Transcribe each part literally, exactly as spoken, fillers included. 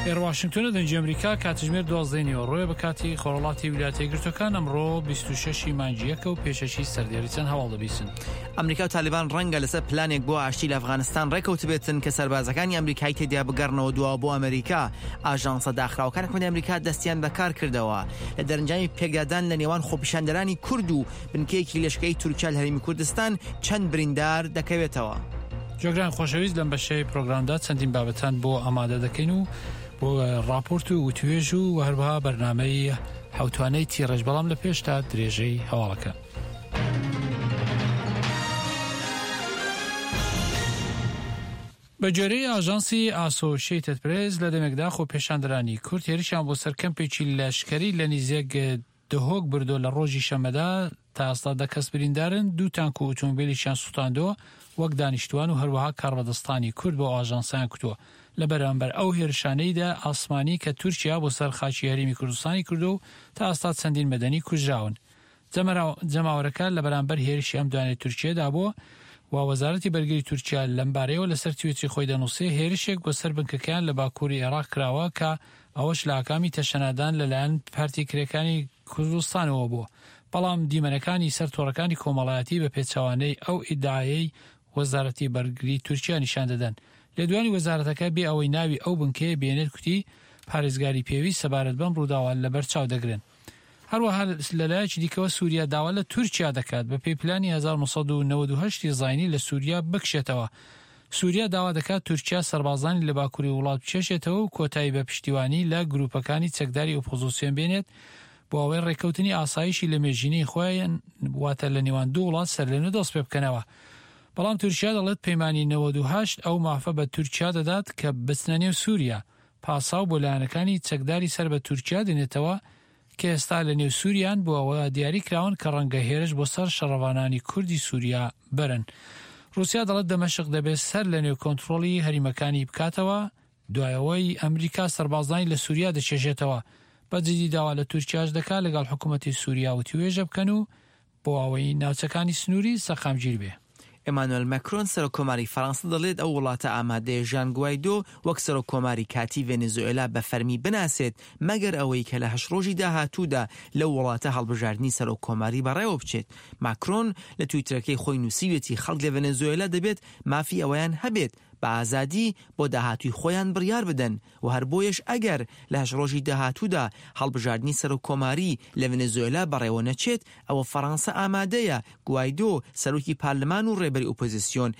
ئێرە واشنگتۆنە، دەنگی ئەمریکا. کاتژمێر دوازدەی نیوەڕۆیە بە کاتی خۆرهەڵاتی ویلایەتە یەکگرتووەکان. ئەمڕۆ بیست و شەش ی مانگی یەکە و پێشەکی سەردێری چەند هەواڵ دەبیسن. ئەمریکا و تالیبان ڕەنگە لەسەر پلانێک بۆ ئاشتی لە ئەفغانستان ڕێکەوتبێتن کە سەربازەکانی ئەمریکای تێدا بگەڕنەوە دواوە بۆ ئەمریکا. ئاژانسە داخراوەکان حکومەتی ئەمریکا دەستیان بەکار کردەوە لە دەرەنجامی پێکدادان لە نێوان خۆپیشاندەرانی کورد و بنکەیەکی لەشکری تورکیا لە هەرێمی کوردستان چەند بریندار دەکەوێتەوە. جۆگران خۆشەویست، لەم بەشەی پرۆگرامدا چەندین بابەتان بۆ ئامادە دەکەین و بۆ ڕاپۆرت و وتوێژ و هەروەها بەرنامەی حوتوانەی تیڕێژ، بەڵام لە پێشتا درێژەی هەواڵەکە. بە گوێرەی ئاژانسی ئاسۆشیتد پرێس، لە دەمێکدا خۆپێشاندەرانی کورد هێرشیان بۆ سەر کەمپێکی لەشکری لە نیزێک دهۆک بردۆ لە ڕۆژی شەمەدا تا ئێستا دە کەس بریندارن، دوو تانک و ئۆتۆمبیلیشیان سوتاندووە وەک دانیشتوان و هەروەها کاربەدەستانی کورد بۆ ئاژانسیان کوتووە لە بەرامبەر ئەو هێرشانەیدا ئاسمانی کە تورکیا بۆ سەر خاکی هەرێمی کوردستانی کردو و تا ئێستا چەندین مەدەنی کوژراون. جەماوەرەکە لە بەرامبەر هێرشی ئەم دوانەی تورکیەدا بووە و وەزارەتی بەرگری تورکیا لەمبارەیەوە لەسەر تویتری خۆی دەنووسێ هێرشێک بۆ سەر بنکەکەیان لە باکووری عێراق کراوە کە ئەوەش لە ئاکامی تەشەنادان لەلایەن پارتی کرێکانی کوردستانەوە بووە، بەڵام دیمەنەکانی سەر تۆڕەکانی کۆمەڵایەتی بە پێچەوانەی ئەو ئیدعایەی وەزارەتی بەرگری تورکیا نیشان دەدەن. لێدوانی وەزارەتەکە بێ ئەوەی ناوی ئەو بنکەیە بێنێت کوتی پارێزگاری پێویست سەبارەت بەم ڕووداوە لەبەرچاو دەگرن. هەروەها لەلایەکی دیکەوە سووریا داوا لە تورکیا دەکات بە پێی پلانی هەزار و نۆ سەد و نەوەد و هەشت زایینی لە سووریا بکشێتەوە. سووریا داوا دەکات تورکیا سەربازانی لە باکووری وڵات بکێشێتەوە و کۆتایی بە پشتیوانی لە گروپەکانی چەکداری ئۆپۆزیسیۆن بێنێت بۆ ئەوەی ڕێککەوتنی ئاسایشی لە مێژینەی خۆیان واتە لە نێوان دوو وڵات سەرلەنوێ دەست پێ بکەنەوە. بەڵام تورکیا دەڵێت پەیمانی نەوەد و هەشت ئەو مافە بە تورکیا دەدات کە بچنە نێو سووریا، پاساو بۆ لایەنەکانی چەکداری سەر بە تورکیا دێنێتەوە کە ئێستا لە نێو سووریان بۆ ئەوە دیاری کراون کە ڕەنگە هێرش بۆ سەر شەڕەوانانی کوردی سووریا بەرن. رووسیا دەڵێت دەمەشق دەبێت سەر لە نێو کۆنترۆڵی هەریمەکانی بکاتەوە دوایەوەی ئەمریکا سەربازانی لە سووریا دەچێژێتەوە. بە جدی داوا لە تورکیاش دەکات لەگەڵ حکوومەتی سووریا وتوێژە بکەن و بۆ ئەوەی ناوچەکانی سنووری سەقامگیر بێ. ئێمانوێل ماکرۆن سەرۆک کۆماری فەرەنسا دەڵێت ئەو وڵاتە ئامادەیە ژان گوایدۆ وەک سەرۆک کۆماری کاتی ڤەنزوێلا بە فەرمی بناسێت، مەگەر ئەوەی کە لە هەشت ڕۆژی داهاتوودا لەو وڵاتە هەڵبژاردنی سەرۆک کۆماری بەڕێوە بچێت. ماکرۆن لە تویتەرەکەی خۆی نووسیوێتی خەڵک لە ڤەنزوێلا دەبێت مافی ئەوەیان هەبێت بە ئازادی بۆ داهاتووی خۆیان بڕیار بدەن و هەر بۆیەش ئەگەر لە هەشت ڕۆژی داهاتوودا هەڵبژاردنی سەرۆک کۆماری لە ڤەنزوێلا بەڕێوە نەچێت، ئەوە فەرەنسا ئامادەیە گوایدۆ سەرۆکی پارلمان و ڕێبەری ئۆپۆزیسیۆن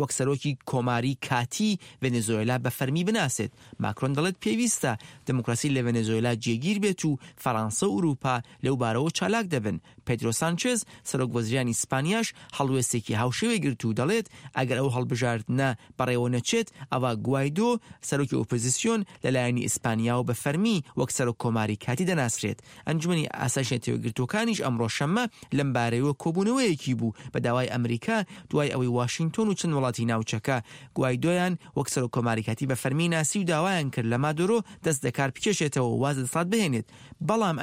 وەک سەرۆکی کۆماری کاتی ڤەنزوێلا بە فەرمی بناسێت. ماکرۆن دەڵێت پێویستە دموکراسی لە ڤەنزوێلا جێگیر بێت و فەرەنسا و ئەوروپا لەو بارەوە چالاک دەبن. پێدرۆ سانچێز سەرۆک وەزیرانی ئیسپانیاش هەڵوێستێکی هاوشێوەی گرت و دەڵێت ئەگەر ئەو هەڵبژاردنە بەڕێوە نەچێت، ئەوە گوایدۆ سەرۆکی ئۆپۆزیسیۆن لەلایەنی ئیسپانیاوە بە فەرمی وەک سەرۆک کۆماری کاتی دەناسرێت. ئەنجومەنی ئاسایشی نەتەوەیەکگرتووەکانیش ئەمڕۆ شەممە لەم بارەیەوە کۆبوونەوەیەکی بوو بە داوای ئەمریکا دوای ئەوەی واشنگتۆن و چەند وڵاتی ناوچەکە گوایدۆیان وەک سەرۆک کۆماری کاتی بە فەرمی ناسی و داوایان کرد لە مادورۆ دەست دەکار بکێشێتەوە و واز لە دەسەڵات بهێنێت. بەڵام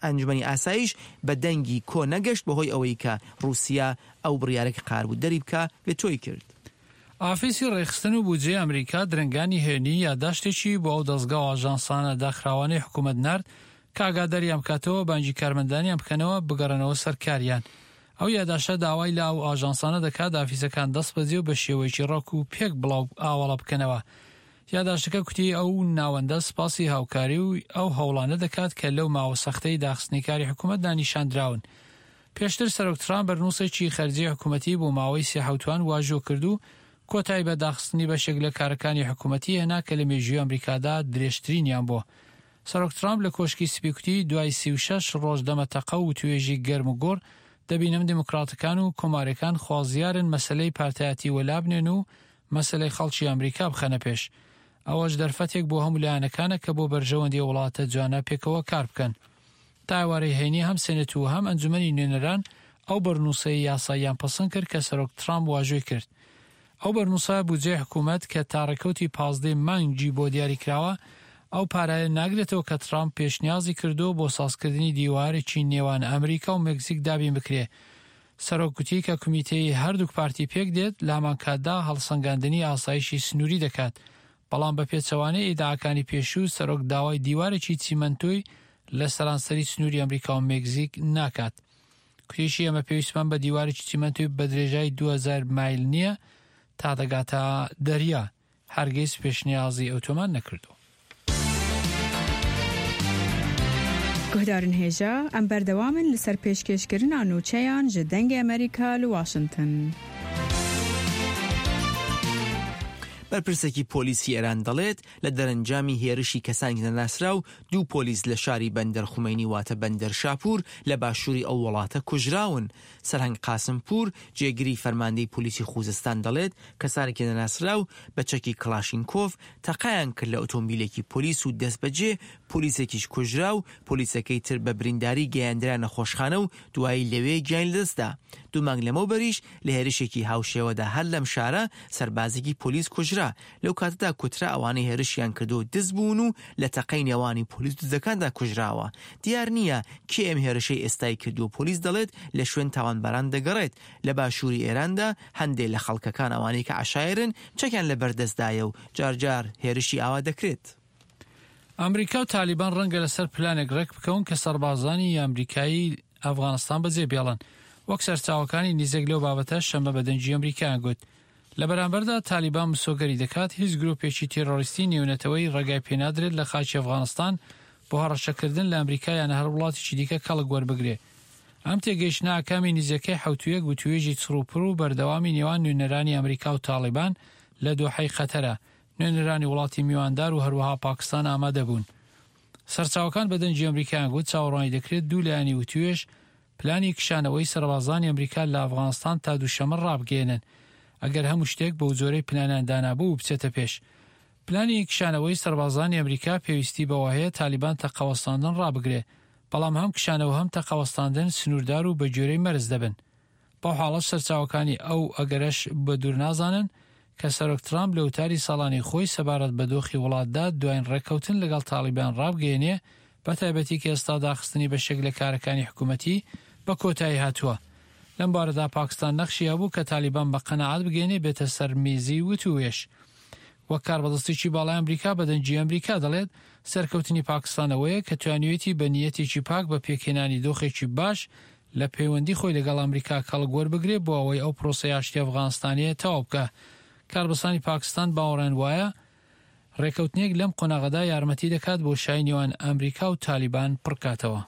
ئەنجومەنی ئاسایش بە دەنگی کۆ نەگەشت بەهۆی ئەوەی کە رووسیا ئەو بڕیارێکی قار بوو دەری بکە ڤێتۆی کرد. ئافیسی ڕێکخستن و بودجەی ئەمریکا درەنگانی هێنی یاداشتێکی بۆ ئەو دەستگا و ئاژانسانە داخراوانەی حکوومەت نارد کە ئاگاداریان بکاتەوە بانگی کارمەندانیان بکەنەوە بگەڕێنەوە سەر کاریان. ئەو یاداشتە داوای لە ئەو ئاژانسانە دەکات ئافیسەکان دەست بەجێ و بە شێوەیەکی ڕێک و پێک بڵاو ئاواڵە بکەنەوە. یاداشتەکە کوتی ئەو ناوەندە سپاسی هاوکاری و ئەو هەوڵانە دەکات کە لەو ماوە سەختەی داخستنی کاری حکوومەتدا نیشاندراون. پێشتر سەرۆک ترامپ بەرنووسێکی خەرجی حکوومەتی بۆ ماوەی سێ حەوتوان واژۆ کرد و کۆتایی بە داخستنی بەشێک لە کارەکانی حکوومەتی هێنا کە لە مێژووی ئەمریکادا درێژترینیان بووە. سەرۆک ترامپ لە کۆشکی سپی کوتی دوای سی و شەش ڕۆژ دەمەتەقە و توێژی گەرم و گوڕ دەبینم دێموکراتەکان و کۆمارەکان خوازیارن مەسلەی پارتایەتی وەلابنێن و مەسلەی خەڵکی ئەمریکا بخەنە پێش. ئەوەش دەرفەتێک بۆ هەموو لایەنەکانە کە بۆ بەرژەوەندی وڵاتە جوانە پێکەوە کار بکەن. تا ئێوارەی هەینی هەم سێنێت و هەم ئەنجومەنی نوێنەران ئەو بەرنووسەی یاساییان پەسەند کرد کە سەرۆک ترامپ واژۆی کرد. ئەو بەرنووسە بودجەی حکوومەت کە تا ڕێکەوتی پازدەی مانگی بۆ دیاری کراوە ئەو پارایە ناگرێتەوە کە ترامپ پێشنیازی کردو بۆ سازکردنی دیوارێکی نێوان ئەمریکا و مەکزیک دابین بکرێ. سەرۆک گوتی کە کۆمیتەی هەردوو پارتی پێک دێت لە هەمان کاتدا هەڵسەنگاندنی ئاسایشی سنووری دەکات، بەڵام بە پێچەوانەی ئیدعاکانی پێشوو سەرۆک داوای دیوارێکی چیمەنتۆی لە سەرانسەری سنووری ئەمریکا و مێکزیک ناکات. کوتیشی ئێمە پێویستمان بە دیوارێکی چیمەنتۆی بە درێژای دوو هەزار مایل نییە تا دەگاتە دەریا. هەرگیز پێشنیازی ئەوتۆمان نەکردو. گوهدارن هێژا ئەم بەردەوامن لەسەر پێشکێشکردنا نوچەیان ji دەنگê ئەمریکا لە واشنگتن. بەرپرسێکی پۆلیسی ئێران دەڵێت لە دەرەنجامی هێرشی کەسانی نەناسراو دوو پۆلیس لە شاری بەندەر خومەینی واتە بەندەر شاپور لە باشووری ئەو وڵاتە کوژراون. سەرهەنگ قاسمپور جێگری فەرماندەی پۆلیسی خوزستان دەڵێت کەسانێکی نەناسراو بە چەکی کڵاشینکۆف تەقایان کرد لە ئۆتۆمبیلێکی پۆلیس و دەستبەجێ پۆلیسێکیش کوژرا و پۆلیسەکەی تر بە برینداری گەیاندرا نەخۆشخانە و دوایی لەوێ گیانی لەدەستدا. دوو مانگ لەمەوبەریش لە هێرشێکی هاوشێوەدا هەر لەم شارە سەربازێکی پۆلیس کوژرا. لەو کاتەدا کوترا ئەوانەی هێرشیان کردو دز بوون و لە تەقەی نێوانی پۆلیس دزەکاندا کوژراوە. دیار نییە کێ ئەم هێرشەی ئێستای کردو. پۆلیس دەڵێت لە شوێن تاوانباران دەگەڕێت. لە باشووری ئێراندا هەندێک لە خەڵکەکان ئەوانەی کە عەشایرن چەکیان لە بەردەستدایە و جارجار هێرشی ئاوا دەکرێت. ئەمریکا و تالیبان ڕەنگە لەسەر پلانێک ڕێک بکەون کە سەربازانی ئەمریکایی ئەفغانستان بەجێ بێڵن. وەک سەرچاوەکانی نزیک لەو بابەتە شەممە بە دەنگی ئەمریکایان گوت. لە بەرامبەردا تالیبان مسۆگەری دەکات هیچ گروپێکی تیرۆریستی نێونەتەوەی ڕێگای پێنادرێت لە خاکی ئەفغانستان بۆ هەڕەشەکردن لە ئەمریکا یان هەر وڵاتێکی دیکە کەڵک وەربگرێ. ئەم تێگەیشتنە ئاکامی نزیکەی حەوتوویەک وتوێژی چڕوپڕ و بەردەوامی نێوان نوێنەرانی ئەمریکا و تالیبان لە دۆحەی قەتەرە. نوێنەرانی وڵاتی میواندار و هەروەها پاکستان ئامادە بوون. سەرچاوەکان بە دەنگی ئەمریکایان گوت چاوەڕوانی دەکرێت دوو لایەنی وتوێژ پلانی کشانەوەی سەربازانی ئەمریکا لە ئەفغانستان تا دووشەممە ڕابگەیەنن ئەگەر هەموو شتێک بەو جۆرەی پلانیان دانابوو و بچێتە پێش. پلانی کشانەوەی سەربازانی ئەمریکا پێویستی بەوە هەیە تالیبان تەقەوەستاندن ڕابگرێ، بەڵام هەم کشانەوە هەم تەقەوەستاندن سنووردار و بە گوێرەی مەرز دەبن. بەو حاڵەش سەرچاوەکانی ئەو ئەگەرەش بە دوور نازانن کە سەرۆک ترامپ لە وتاری ساڵانی خۆی سەبارەت بە دۆخی وڵاتدا دوایین ڕێککەوتن لەگەڵ تالیبان ڕابگەیەنێ، بە تایبەتی کە ئێستا داخستنی بەشێک لە کارەکانی حکوومەتی بە کۆتایی هاتووە. لەم بارەدا پاکستان نەخشی هەبوو کە تالیبان بە قەناعەت بگەینێ بێتە سەر میزی وتوێژ. وەک کاربەدەستێکی باڵای ئەمریکا بە دەنگی ئەمریکا دەڵێت سەرکەوتنی پاکستانەوەیە کە توانیوێتی بە نیەتێکی پاک بە پێکهێنانی دۆخێکی باش لە پەیوەندی خۆی لەگەڵ ئەمریکا کەڵک وەربگرێ بۆ ئەوەی ئەو پرۆسەی ئاشتی ئەفغانستانیە تەواو بکە. کاربەدەستانی پاکستان باوەڕیان وایە ڕێککەوتنێک لەم قۆناغەدا یارمەتی دەکات بۆ شای نێوان ئەمریکا و تالیبان پڕکاتەوە.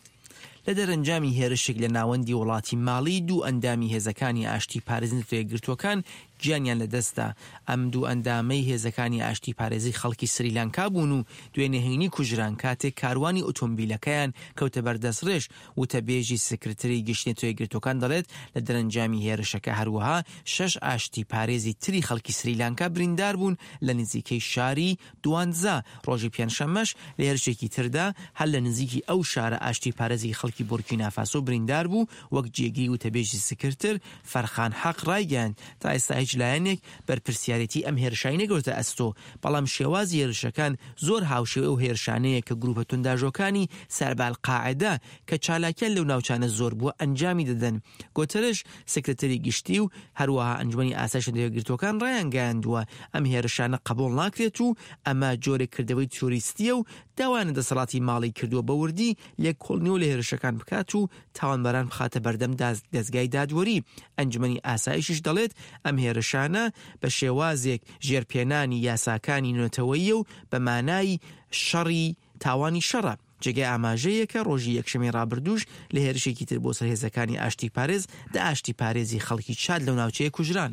لە دەرەنجامی هێرشێک لە ناوەندی وڵاتی ماڵی دوو ئەندامی هێزەکانی ئاشتی پارێزی نەتەوەیەکگرتووەکان گیانیان لەدەستدا. ئەم دوو ئەندامەی هێزەکانی ئاشتی پارێزی خەڵکی سریلانکا بوون و دوێنێ هەینی کوژران کاتێک کاروانی ئۆتۆمبیلەکەیان کەوتە بەردەستڕێژ. وتەبێژی سکرتری گشتی نەتەوەیەکگرتووەکان دەڵێت لە دەرەنجامی هێرشەکە هەروەها شەش ئاشتی پارێزی تری خەڵکی سریلانکا بریندار بوون لە نزیکەی شاری دوانزا. ڕۆژی پێنجشەممەش لە هێرشێکی تردا هەر لە نزیکی ئەو شارە ئاشتی پارێزی خەڵکی بورکینافاسۆ بریندار بوو. وەک جێگری وتەبێژی سکرتر فەرخان حەق ڕایگەیاند تا ئێستا هیچ لایەنێک بەرپرسیارێتی ئەم هێرشای نەگرتە ئەستۆ، بەڵام شێوازی هێرشەکان زۆر هاوشێوە ئەو هێرشانەیە کە گروپە تونداژۆکانی سەر بە ئەلقاعدە کە چالاکیان لەو ناوچانە زۆر بووە ئەنجامی دەدەن. گۆتەرش سکرتری گشتی و هەروەها ئەنجومەنی ئاسایشی نەتەوەیەکگرتووەکان ڕایانگەیاندووە ئەم هێرشانە قبوڵ ناکرێت و ئەمە جۆرێک کردەوەی تیرۆریستیە و داوایان لە دەسەڵاتی ماڵی کردووە بە وردی لێکۆڵینەوە لە هێرشەکان بکات و تاوانباران بخاتە بەردەم دەزگای دادوەری. ئەنجومەنی ئاسایشیش دەڵێت ئەم هێرشانە بە شێوازێک ژێرپێنانی یاساکانی نەتەوەیی و بە مانای شەڕی تاوانی شەڕە. جێگای ئاماژەیەکە ڕۆژی یەکشەممەی ڕابردووش لە هێرشێکی تر بۆ سەر هێزەکانی ئاشتی پارێز دە ئاشتی پارێزی خەڵکی چاد لەو ناوچەیە کوژران.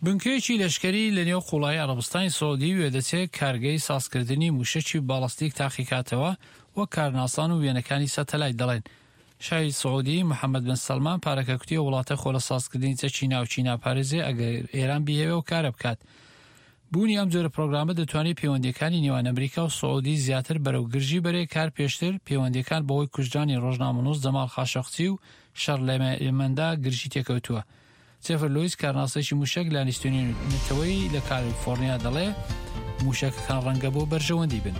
بنکەیەکی لەشکری لە نێو قوڵایی عەرەبستانی سعودی وێدەچێت کارگەی سازکردنی موشەکی باڵستیک تاقیکاتەوە وەک کارناسان و وێنەکانی سەتەلایت دەڵێن. شای سعودی محەممەد بن سەلمان پارەکە کوتیە وڵاتە خۆ لە سازکردنی چەکی ناوچی ناپارێزێ ئەگەر ئێران بیهەوێ و کارە بکات. بوونی ئەم جۆرە پرۆگرامە دەتوانێت پەیوەندیەکانی نێوان ئەمریکا و سعودی زیاتر بەرەو گرژی بەرێ. کار پێشتر پەیوەندیەکان بەهۆی کوژرانی ڕۆژنامەنووس جەماڵ خاشقچی و شەڕ لە یەمەندا گرژی تێکەوتووە. جێفر لویس کارناسێکی موشەک لە ئەنستیتیوتی نەتەوەیی لە کالیفۆرنیا دەڵێ موشەکەکان ڕەنگە بۆ بەرژەوەندی بن.